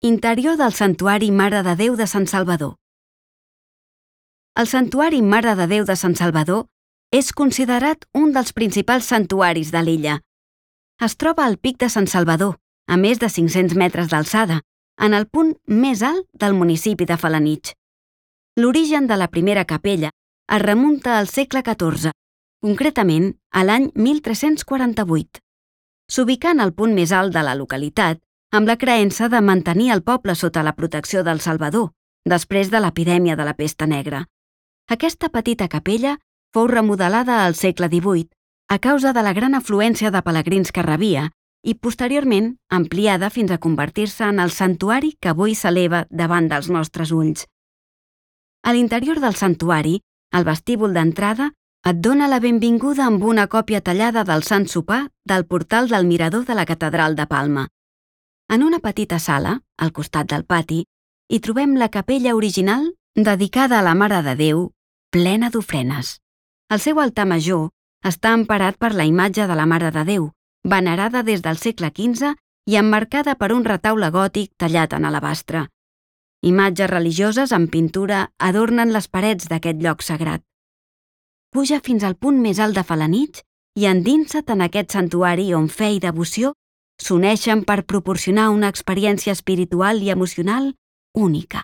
Interior del Santuari Mare de Déu de Sant Salvador. El Santuari Mare de Déu de Sant Salvador és considerat un dels principals santuaris de l'illa. Es troba al Pic de Sant Salvador, a més de 500 metres d'alçada, en el punt més alt del municipi de Felanitx. L'origen de la primera capella es remunta al segle XIV, concretament a l'any 1348. S'ubicà en el punt més alt de la localitat, amb la creença de mantenir el poble sota la protecció del Salvador, després de l'epidèmia de la pesta negra. Aquesta petita capella fou remodelada al segle XVIII a causa de la gran afluència de pelegrins que rebia i posteriorment ampliada fins a convertir-se en el santuari que avui s'eleva davant dels nostres ulls. A l'interior del santuari, el vestíbul d'entrada et dona la benvinguda amb una còpia tallada del Sant Sopar del portal del mirador de la Catedral de Palma. En una petita sala, al costat del pati, hi trobem la capella original dedicada a la Mare de Déu, plena d'ofrenes. El seu altar major està emparat per la imatge de la Mare de Déu, venerada des del segle XV i emmarcada per un retaule gòtic tallat en alabastre. Imatges religioses en pintura adornen les parets d'aquest lloc sagrat. Puja fins al punt més alt de Felanitx i endinsa't en aquest santuari on fe i devoció s'uneixen per proporcionar una experiència espiritual i emocional única.